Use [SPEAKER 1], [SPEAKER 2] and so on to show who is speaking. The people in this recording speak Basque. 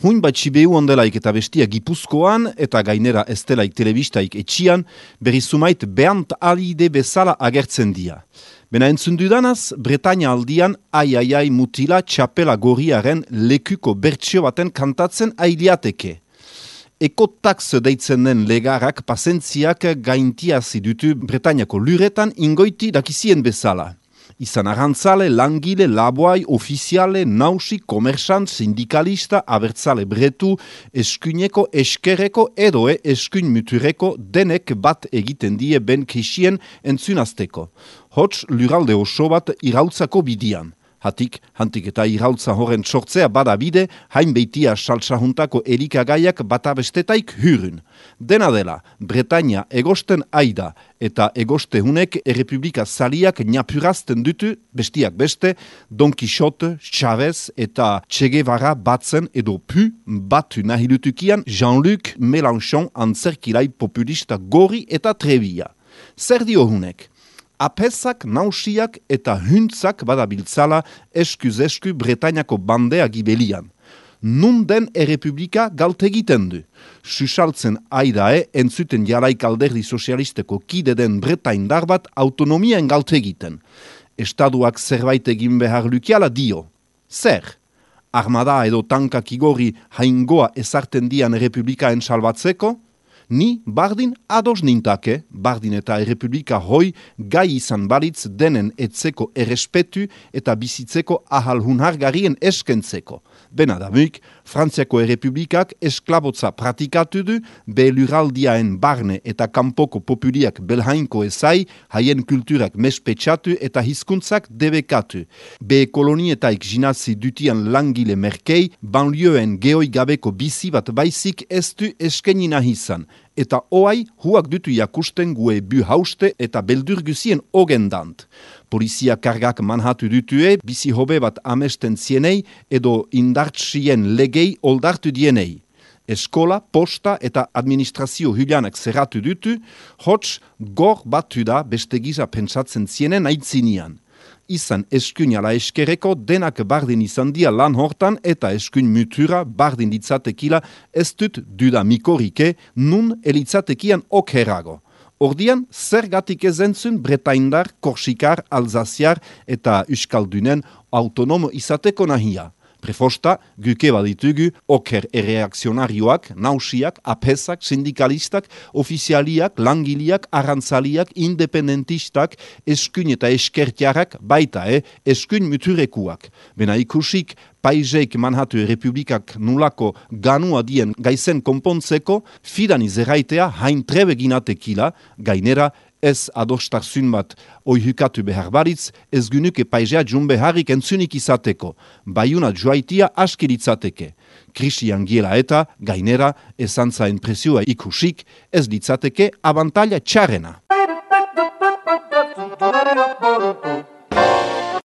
[SPEAKER 1] Huin bat Sibeu ondelaik eta bestia Gipuzkoan eta gainera estelaik telebistaik etxian, berrizumait Bernd Alide bezala agertzen dia. Bena entzundudanaz, Bretaña aldian ai mutila txapela gorriaren lekuko bertsio baten kantatzen ailiateke. Ekotax deitzen den legarak pasentziak gaintiazi dutu Bretañako luretan ingoiti dakizien bezala. Izan arrantzale, langile, laboai, ofiziale, nausi, komersant, sindikalista, abertzale bretu, eskuineko, eskerreko edoe eskuin mutureko denek bat egiten die ben kesien entzunazteko. Hots luralde oso bat irautzako bidian. Hantik eta irautza horren sortzea bada bide, hain beitia saltsahuntako elikagaiak bata bestetaik hurun. Dena dela, Bretaña egosten aida eta egostehunek errepublika zaliak napurazten dutu, bestiak beste, Don Quixote, Chavez eta Che Guevara batzen edo pu batu nahilutukian Jean-Luc Mélenchon antzerkilai populista gori eta trebia. Zer dio hunek? Apesak, nausiak eta huntzak badabiltzala eskuz-esku Bretañako bandea gibelian. Nun den errepublika galtegiten du. Susaltzen aidae entzuten jaraik alderdi sozialisteko kide den Bretaindar bat autonomiaen galtegiten. Estaduak zerbait egin behar lukiala dio. Zer? Armada edo tankak igorri haingoa ezarten dian errepublikaen salbatzeko? Ni bardin ados nintake, bardin eta errepublika hoi gai izan balitz denen etzeko errespetu eta bizitzeko ahal hunhargarien eskentzeko. Benadamuk, Frantziako errepublikak esklabotza pratikatu du, be luraldiaen barne eta kanpoko populiak belhainko ezai, haien kulturak mespetsatu eta hizkuntzak debekatu. Be kolonietaik jinazi dutian langile merkei, banlieuen geoi gabeko bizi bat baizik ez du eskeni nahizan. Eta oai huak dutu jakusten gue bu hauste eta beldurgusien ogendant. Polizia kargak manhatu dutue, bizi hobe bat amesten zienei edo indartsien legei oldartu dienei. Eskola, posta eta administrazio hulianak zerratu dutu, hots gor batu da beste giza pentsatzen zienen aitzinian. Izan eskuin ala eskerreko denak bardin izan dia lan hortan eta eskuin mutura bardin ditzatekila ez dut duda mikorike nun elitzatekian okerrago. Ordian, zergatik ezentzun Bretaindar, Korsikar, Alzaziar eta Euskaldunen autonomo izateko nahia. Prefosta, guke baditugu, oker erreakzionarioak, nausiak, apesak, sindikalistak, ofizialiak, langiliak, arrantzaliak, independentistak, eskuin eta eskertiarak, baita, eskuin muturekuak. Bena ikusik, paizeik manhatu errepublikak nulako ganua dien gaizen konpontzeko, fidan izerraitea hain trebe ginatekila, gainera, ez adostarzun bat oihukatu behar baritz, ez gynuke paizea jun beharrik entzunik izateko. Baiuna joaitia askiritzateke. Krisian giela eta, gainera, ezantzaen presioa ikusik, ez ditzateke abantaila txarrena.